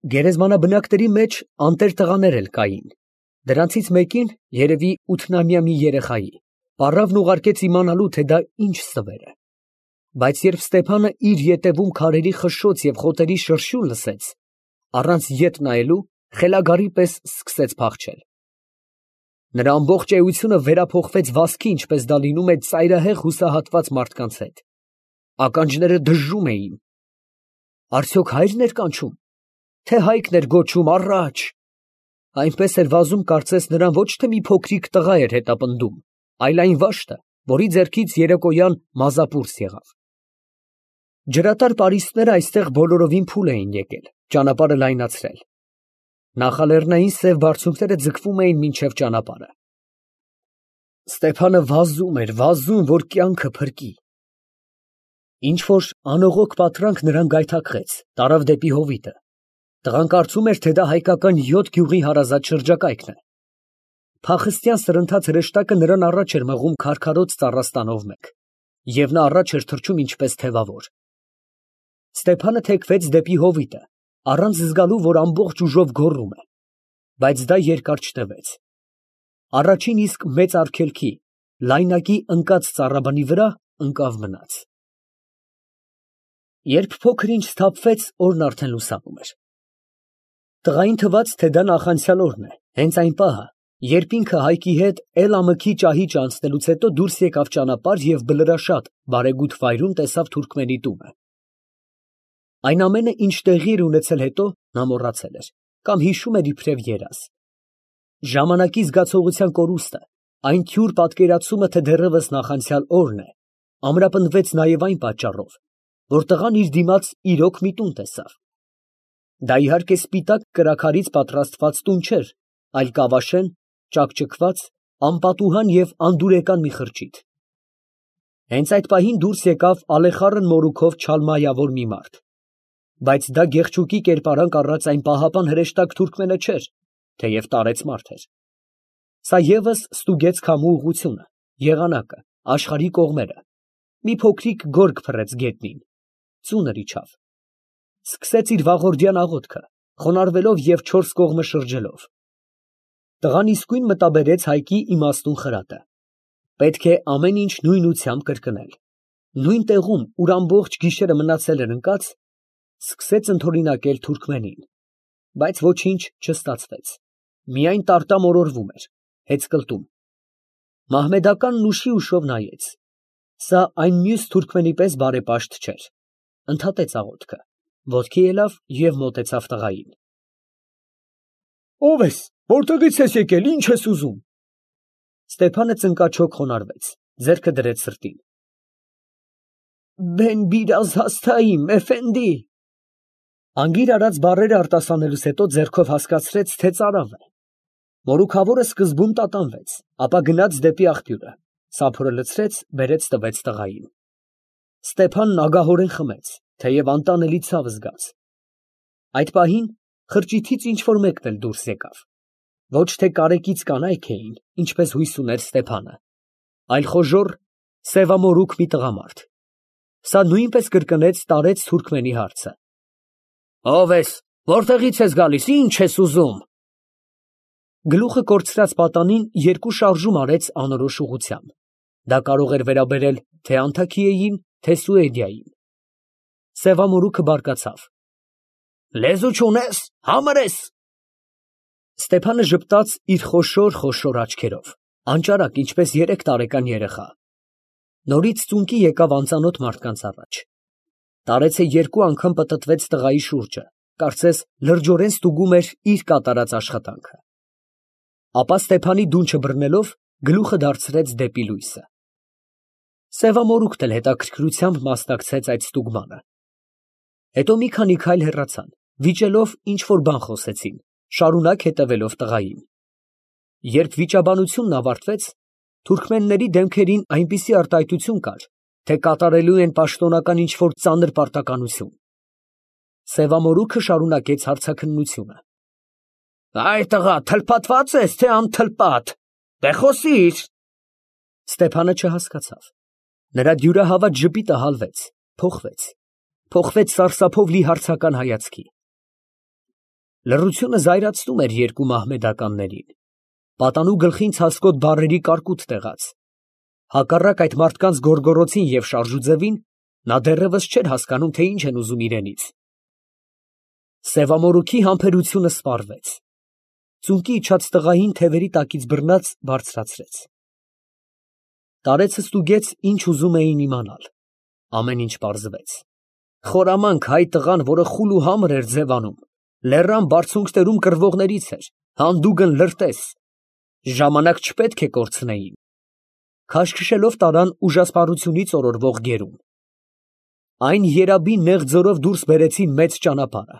Գերեզմանաբնակների մեջ անտեր տղաներ էլ կային. դրանցից մեկին, երևի 8-ամյա մի երեխայի, պառավն ուղարկեց իմանալու, թե դա ինչ ստվեր է. բայց երբ Ստեփանը իր ետևում քարերի խշշոց և խոտերի շրշյուն լսեց, առանց ետ նայելու, խելագարի պես սկսեց փախչել։ Նրա ամբողջ էությունը վերափոխվեց վասկի, ինչպես դա լինում է ծայրահեղ հուսահատված մարդկանց հետ։ Ականջները դժժում էին։ Արդյոք հայրն էր կանչում, թե հայկն էր գոչում առաջ։ Այնպես էր վազում, կարծես նրան ոչ թե մի փոքրիկ տղա էր հետապնդում, այլ այն վաշտը, որի ձեռքից երեկոյան մազապուրս եղավ։ Ջրատար պարիսպները այստեղ բոլորովին փուլ էին եկել, ճանապարհը լայնացրել։ Նախալեռնային սև բարձունքները ձգվում էին մինչև ճանապարհը։ Ստեփանը վազում էր, վազում, որ կյանքը փրկի։ Ինչ որ անողոք պատրանք նրան գայթակղեց, տարավ դեպի հովիտը։ Տղան կարծում էր, թե դա հայկական 7 գյուղի հարազատ շրջակայքն է։ Փախստյան սրընթաց հրեշտակը նրան առաջ էր մղում քարքարոտ ծառաստանով մեկ, և նա առաջ էր թռչում ինչպես թևավոր։ Ստեփանը թեքվեց դեպի հովիտը, առանց զգալու, որ ամբողջ ուժով գոռում է, բայց դա երկար չտևեց։ Առաջին իսկ մեծ արգելքի, լայնակի ընկած ծառաբնի վրա ընկավ մնաց։ Երբ փոքր ինչ սթափվեց, օրն արդեն լուսանում էր։ Տղային թվաց, թե դա նախանցյալ օրն է, հենց այն պահը, երբ ինքը Հայկի հետ Էլ-Ամքի ճահիճը անցնելուց հետո դուրս եկավ ճանապարհ և բլրաշատ, բարեգութ վայրում տեսավ թուրքմենի տունը։ Այն ամենը, ինչ տեղի էր ունեցել հետո, նա մոռացել էր, կամ հիշում էր իբրև երազ։ Ժամանակի զգացողության կորուստը, այն թյուր պատկերացումը, թե դեռևս նախանցյալ օրն է, ամրապնդվեց նաև այն պատճառով, որ տղան իր դիմաց իրոք մի տուն տեսավ։ Դա իհարկե սպիտակ կրաքարից պատրաստված տուն չէր, այլ կավաշեն, ճաքճքված, անպատուհան և անդուրեկան մի խրճիթ։ Հենց այդ պահին դուրս եկավ ալեխառն մորուքով չալմայավոր մի մարդ, բայց դա գեղչուկի կերպարանք առած այն պահապան հրեշտակ թուրքմենը չէր, թեև տարեց մարդ էր։ Սա ևս ստուգեց քամու ուղղությունը, եղանակը, աշխարհի կողմերը, մի փոքրիկ գորգ փռեց գետնին, ծունր իջավ։ Սկսեց իր վաղորդյան աղոթքը, խոնարհվելով և 4 կողմը շրջելով։ Տղան իսկույն մտաբերեց Հայկի իմաստուն խրատը։ Պետք է ամեն ինչ նույնությամբ կրկնել։ Նույն տեղում, ուր ամբողջ գիշերը մնացել էր ընկած, սկսեց ընդօրինակել թուրքմենին, բայց ոչինչ չստացվեց։ Միայն տարտամորորվում էր, հեծկլտում։ Մահմեդականն ուշի ուշով նայեց։ Սա այն մյուս թուրքմենի պես բարեպաշտ չէր։ Ընդհատեց աղոթքը, ոտքի ելավ և մոտեցավ տղային։ Ո՞վ ես, որտեղից ես եկել, ինչ ես ուզում։ Ստեփանը ծնկաչոք խոնարհվեց, ձեռքը դրեց սրտին։ Բեն բիրազ հաստայիմ, էֆենդի։ Անգիր արած բառերը արտասանելուց հետո ձեռքով հասկացրեց, թե ծարավ է։ Մորուքավորը սկզբում տատանվեց, ապա գնաց դեպի աղբյուրը, սափորը լցրեց, բերեց տվեց տղային։ Ստեփանն ագահորեն խմեց, թեև անտանելի ցավ զգաց։ Այդ պահին խրճիթից ինչ որ մեկն էլ դուրս եկավ։ Ոչ թե կարեկից կանայք էին, ինչպես հույս ուներ Ստեփանը, այլ խոժոռ, սևամորուք մի տղամարդ։ Սա նույնպես կրկնեց տարեց թուրքմենի հարցը։ Ո՞վ ես, որտեղից ես գալիս, ինչ ես ուզում։ Գլուխը կորցրած պատանին 2 շարժում արեց անորոշ ուղղությամբ։ Դա կարող էր վերաբերել թե Անթաքիեին, թե Սուեդիային։ Սևամորուքը բարկացավ։ Լեզու չունես, համր ես։ Ստեփանը ժպտաց իր խոշոր աչքերով, անճարակ, ինչպես 3 տարեկան երեխա։ Նորից ծունկի եկավ անծանոթ մարդկանց առաջ։ Տարեցը 2 անգամ պտտվեց տղայի շուրջը, կարծես լրջորեն ստուգում էր իր կատարած աշխատանքը։ Ապա Ստեփանի դունչը բռնելով գլուխը դարձրեց դեպի լույսը։ Սևամորուքն էլ հետաքրքրությամբ մասնակցեց այդ ստուգմանը։ Հետո մի քանի քայլ հեռացան, վիճելով ինչ որ բան խոսեցին, շարունակ հետևելով տղային։ Երբ վիճաբանությունն ավարտվեց, թուրքմենների դեմքերին այնպիսի արտահայտություն կար, թե կատարելու են պաշտոնական ինչ որ ծանր պարտականություն։ Սևամորուքը շարունակեց հարցաքննությունը։ Այ տղա, թլփատված ես, թե անթլպատ, դե խոսիր։ Ստեփանը չհասկացավ։ Նրա դյուրահավատ ժպիտը հալվեց, փոխվեց սարսափով լի հարցական հայացքի։ Լռությունը զայրացնում էր երկու մահմեդականներին, պատանու գլխին ցասկոտ բառերի կարկուտ տեղաց։ Հակառակ այդ մարդկանց գոռգոռոցին և շարժուձևին, նա դեռևս չէր հասկանում, թե ինչ են ուզում իրենից։ Սևամորուքի համբերությունը սպառվեց։ Ծունկի իջած տղային թևերի տակից բռնած բարձրացրեց։ Տարեցը ստուգեց, ինչ ուզում էին իմանալ։ Ամեն ինչ պարզվեց։ Խորամանկ հայ տղան, որը խուլ ու համր էր ձևանում, լեռան բարձունքներում կռվողներից էր, հանդուգն լրտես։ Ժամանակ չպետք է կորցնեին։ Քաշքշելով տարան ուժասպառությունից օրորվող գերուն։ Այն երաբի նեղ ձորով դուրս բերեցին մեծ ճանապարհը։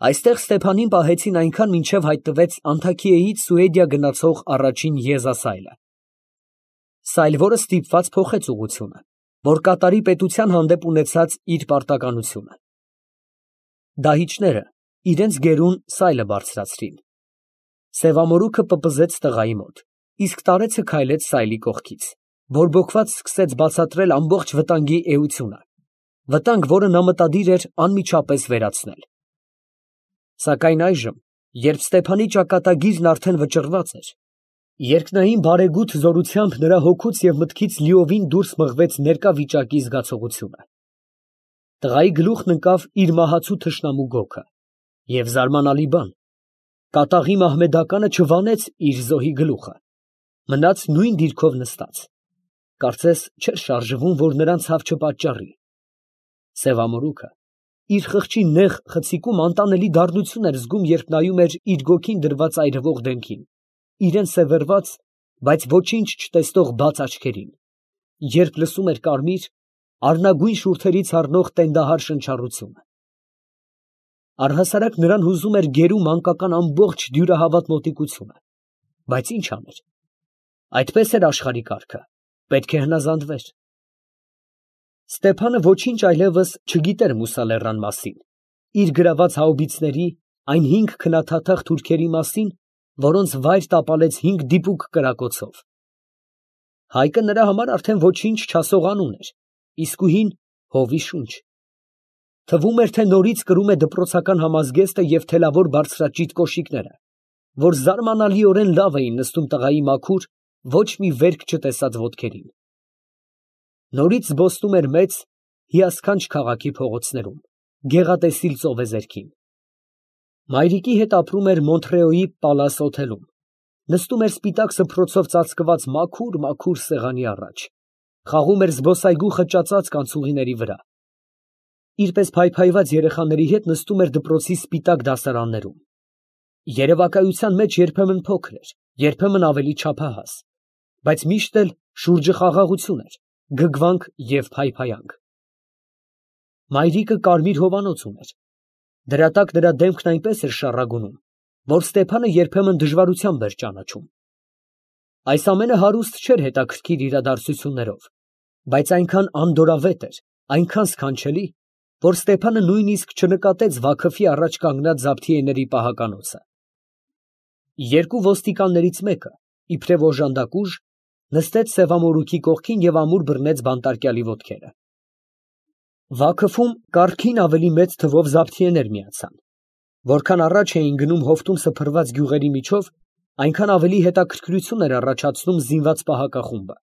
Այստեղ Ստեփանին պահեցին այնքան, մինչև հայտնվեց Անթաքիեից Սուեդիա գնացող առաջին եզասայլը։ Սայլ, որը ստիպված փոխեց ուղղությունը, որ կատարի պետության հանդեպ ունեցած իր պարտականությունը։ Դահիճները իրենց գերուն սայլը բարձրացրին։ Սևամորուքը պպզեց տղայի մոտ, իսկ տարեցը քայլեց սայլի կողքից, բորբոքված սկսեց բացատրել ամբողջ վտանգի էությունը, վտանգ, որը նա մտադիր էր անմիջապես վերացնել։ Սակայն այժմ, երբ Ստեփանի ճակատագիրն արդեն վճռված էր, երկնային բարեգութ զորությամբ նրա հոգուց և մտքից լիովին դուրս մղվեց ներկա վիճակի զգացողությունը։ Տղայի գլուխն ընկավ իր մահացու թշնամու գոգը, և զարմանալի բան, կատաղի մահմեդականը չվանեց իր զոհի գլուխը, մնաց նույն դիրքով նստած, կարծես չէր շարժվում, որ նրան ցավ չպատճառի։ Սևամորուքը իր խղճի նեղ խցիկում անտանելի դառնություն էր զգում, երբ նայում էր իր գոգին դրված այրվող դեմքին, իրեն սևեռված, բայց ոչինչ չտեսնող բաց աչքերին, երբ լսում էր կարմիր, առնագույն շուրթերից առնող տենդահար շնչառությունը։ Առհասարակ նրան հուզում էր գերու մանկական ամբողջ դյուրահավատ մոտիկությունը, բայց ինչ աներ։ Այդպես էր աշխարհի կարգը, պետք է հնազանդվեր։ Ստեփանը ոչինչ այլևս չգիտեր Մուսալեռան մասին, իր գրաված հաուբիցների, այն 5 քնաթաթախ թուրքերի մասին, որոնց վայր տապալեց 5 դիպուկ կրակոցով։ Հայկը նրա համար արդեն ոչինչ չասող անուն էր, իսկույն հովի շունչ։ Թվում էր, թե նորից կրում է դպրոցական համազգեստը և թելավոր բարձրաճիտ կոշիկները, որ զարմանալիորեն լավ էին նստում տղայի մաքուր, ոչ մի վերք չտեսած ոտքերին։ Նորից զբոսնում էր մեծ, հիասքանչ քաղաքի փողոցներում, գեղատեսիլ ծովեզերքին։ Մայրիկի հետ ապրում էր Մոնտրեոյի Պալաս օթելում, նստում էր սպիտակ սփռոցով ծածկված մաքուր սեղանի առաջ, խաղում էր զբոսայգու խճածած կանցուղիների վրա։ Իր պես փայփայված երեխաների հետ նստում էր դպրոցի սպիտակ դասարաններում։ Երևակայության մեջ երբեմն փոքր էր, երբեմն ավելի չափահաս, բայց միշտ էլ շուրջը խաղաղություն էր, գգվանք և փայփայանք։ Մայրիկը կարմիր հովանոց ուներ։ Դրա տակ նրա դեմքն այնպես էր շառագունում, որ Ստեփանը երբեմն դժվարությամբ էր ճանաչում։ Այս ամենը հարուստ չէր հետաքրքիր իրադարձություններով, բայց այնքան անդորավետ էր, այնքան սքանչելի, որ Ստեփանը նույնիսկ չնկատեց Վաքոֆի առաջ կանգնած զաբթիեների պահականոցը։ Երկու ոստիկաններից մեկը, իբրև օժանդակուժ, նստեց Սևամորուքի կողքին և ամուր բռնեց բանտարկյալի ոտքերը։ Վաքոֆում կարգին ավելի մեծ թվով զաբթիեներ միացան։ Որքան առաջ էին գնում հովտում սփռված գյուղերի միջով, այնքան ավելի հետաքրքրություն էր առաջացնում զինված պահակախումբը։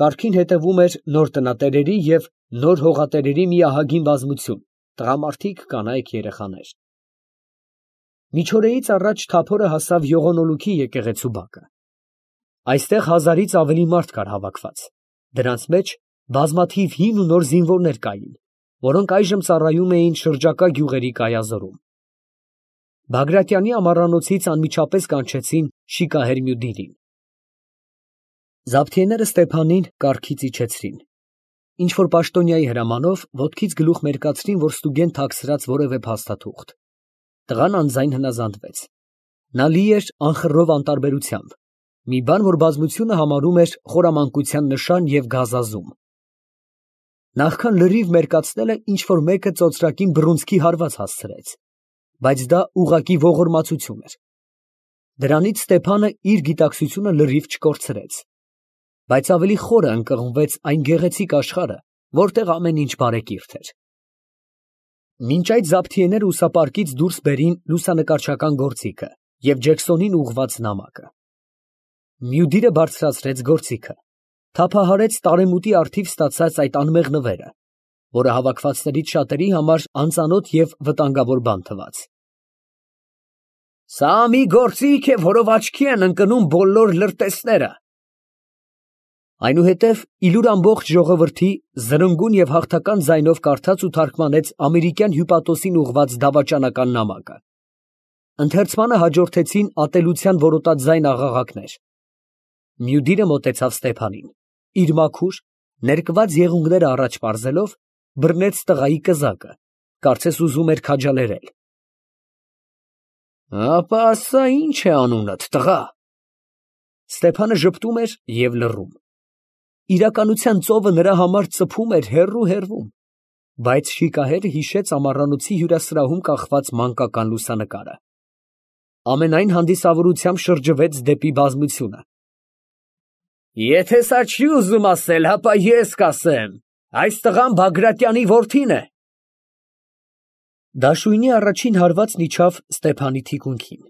Կարգին հետևում էր նոր տնատերերի և նոր հողատերերի մի ահագին բազմություն, տղամարդիկ, կանայք, երեխաներ։ Միջօրեից առաջ Թափորը հասավ Յողոնոլուքի եկեղեցու բակը։ Այստեղ 1000-ից ավելի մարդ կար հավաքված, դրանց մեջ բազմաթիվ հին ու նոր զինվորներ կային, որոնք այժմ ծառայում էին շրջակա գյուղերի կայազորում։ Բագրատյանի ամառանոցից անմիջապես կանչեցին շիկահեր Մյուդիրին։ Զաբթիեները Ստեփանին կառքից իջեցրին։ Ինչ-որ պաշտոնյայի հրամանով ոտքից գլուխ մերկացրին, որ ստուգեն թաքցրած որևէ փաստաթուղթ։ Տղան անձայն հնազանդվեց։ Նա լի էր անխռով անտարբերությամբ, մի բան, որ բազմությունը համարում էր խորամանկության նշան և գազազում։ Նախքան լրիվ մերկացնելը ինչ֊որ մեկը ծոծրակին բռունցքի հարված հասցրեց, բայց դա ուղղակի ողորմածություն էր։ Դրանից Ստեփանը իր գիտակցությունը լրիվ չկորցրեց, բայց ավելի խորը ընկղմվեց այն գեղեցիկ աշխարհը, որտեղ ամեն ինչ բարեկիրթ էր։ Մինչ այդ Զաբթիեները ուսապարկից դուրս բերին լուսանկարչական գործիքը և Ջեքսոնին ուղղված նամակը։ Մյուդիրը բարձրացրեց գործիքը, թափահարեց տարեմուտի առթիվ ստացած այդ անմեղ նվերը, որը հավաքվածներից շատերի համար անծանոթ և վտանգավոր բան թվաց։ Սա մի գործիք է, որով աչքի են ընկնում բոլոր լրտեսները։ Այնուհետև իլուր ամբողջ ժողովրդի զրնգուն և հաղթական ձայնով կարդաց ու թարգմանեց ամերիկյան հյուպատոսին ուղղված դավաճանական նամակը։ Ընթերցմանը հաջորդեցին ատելության որոտածայն աղաղակներ։ Մյուդիրը մոտեցավ Ստեփանին, իր մաքուր, ներկված եղունգները առաջ պարզելով, բռնեց տղայի կզակը, կարծես ուզում էր քաջալերել։ Ապա ասա ինչ է անունդ, տղա։ Ստեփանը ժպտում էր և լռում։ Իրականության ծովը նրա համար ծփում էր հեռու, բայց շիկահերը հիշեց ամառանոցի հյուրասրահում կախված մանկական լուսանկարը։ Ամենայն հանդիսավորությամբ շրջվեց դեպի բազմությունը։ Եթե սա չի ուզում ասել, հապա ես կասեմ, այս տղան Բագրատյանի որդին է։ Դաշույնի առաջին հարվածն իջավ Ստեփանի թիկունքին։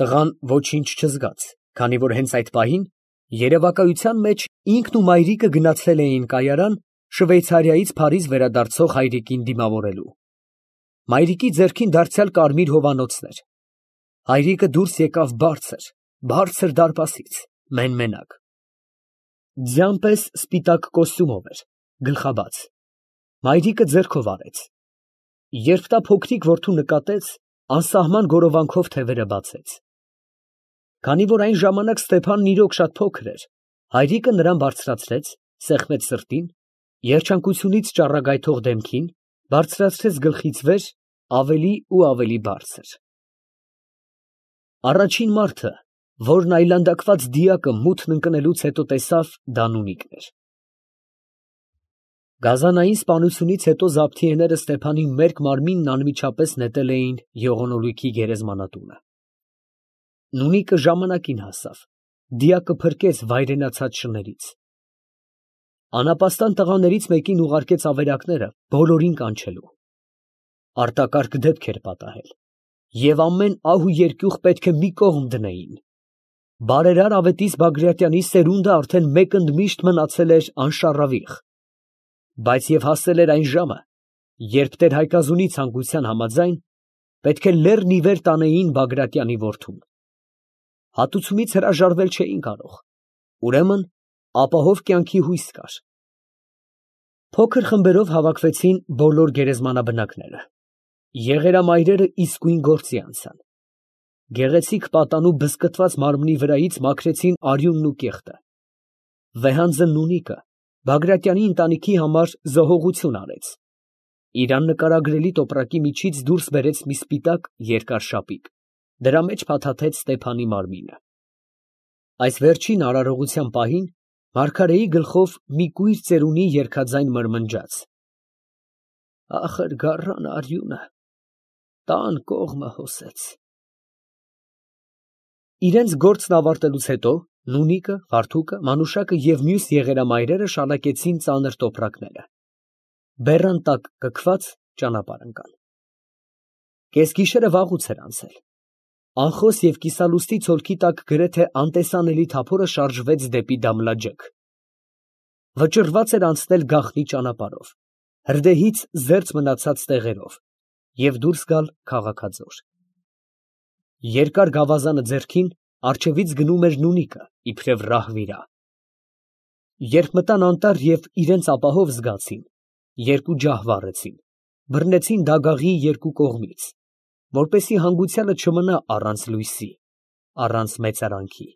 Տղան ոչինչ չզգաց, քանի որ հենց այդ պահին երևակայության մեջ ինքն ու մայրիկը գնացել էին կայարան Շվեյցարիայից Փարիզ վերադարձող հայրիկին դիմավորելու։ Մայրիկի ձեռքին դարձյալ կարմիր հովանոցն էր։ Հայրիկը դուրս եկավ բարձր դարպասից, մեն֊մենակ։ Ձյան պես սպիտակ կոստյումով էր, գլխաբաց։ Մայրիկը ձեռքով արեց։ Երբ նա փոքրիկ որդու նկատեց, անսահման գորովանքով թևերը բացեց։ Քանի որ այն ժամանակ Ստեփանն իրոք շատ փոքր էր, հայրիկը նրան բարձրացրեց, սեղմեց սրտին, երջանկությունից ճառագայթող դեմքին, բարձրացրեց գլխից վեր, ավելի ու ավելի բարձր։ Առաջին մարդը, որն այլանդակված դիակը մութն ընկնելուց հետո տեսավ, դա Նունիկն էր։ Գազանային սպանությունից հետո Զաբթիեները Ստեփանի մերկ մարմինն անմիջապես նետել էին եղունգույքի գերեզմանատունը։ Նունիկը ժամանակին հասավ, դիակը փրկեց վայրենացած շներից։ Անապաստան տղաներից մեկին ուղարկեց ավերակները բոլորին կանչելու։ Արտակարգ դեպք էր պատահել, և ամեն ահ ու երկյուղ պետք է մի կողմ դնեին։ Բարերար ավետիս Բագրատյանի սերունդը արդեն մեկ ընդմիշտ մնացել էր անշառավիղ, բայց և հասել էր այն ժամը, երբ տեր֊Հայկազունի ցանկության համաձայն պետք է լեռն ի վեր տանեին Բագրատյանի որդուն։ Հատուցումից հրաժարվել չէին կարող, ուրեմն ապահով կյանքի հույս կար։ Փոքր խմբերով հավաքվեցին բոլոր գերեզմանաբնակները։ Եղերամայրերը իսկույն գործի անցան։ Գեղեցիկ պատանու բզկտված մարմնի վրայից մաքրեցին արյունն ու կեղտը։ Վեհանձն Նունիկը Բագրատյանի ընտանիքի համար զոհողություն արեց։ Իր աննկարագրելի տոպրակի միջից դուրս բերեց մի սպիտակ երկար շապիկ, դրա մեջ փաթաթեց Ստեփանի մարմինը։ Այս վերջին արարողության պահին մարգարեի գլխով մի կույր ծերունի երգաձայն մրմնջաց. Ախր գառան արյունը տան կողմը հոսեց։ Իրենց գործն ավարտելուց հետո Նունիկը, Վարդուկը, Մանուշակը և մյուս եղերամայրերը շալակեցին ծանր տոպրակները։ Բեռան տակ կքված ճանապարհ ընկան։ Կեսգիշերը վաղուց էր անցել։ Անխոս և կիսալուստի ցոլքի տակ գրեթե անտեսանելի թափորը շարժվեց դեպի Դամլաջեք։ Վճռված էր անցնել գաղտնի ճանապարհով, հրդեհից զերծ մնացած տեղերով և դուրս գալ քաղաքաձոր։ Երկար գավազանը ձեռքին, առջևից գնում էր Նունիկը, իբրև ռահվիրա։ Երբ մտան անտառ և իրենց ապահով զգացին, երկու ջահ վառեցին, բռնեցին դագաղի երկու կողմից, որպեսզի հանգուցյալը չմնա առանց լույսի, առանց մեծարանքի։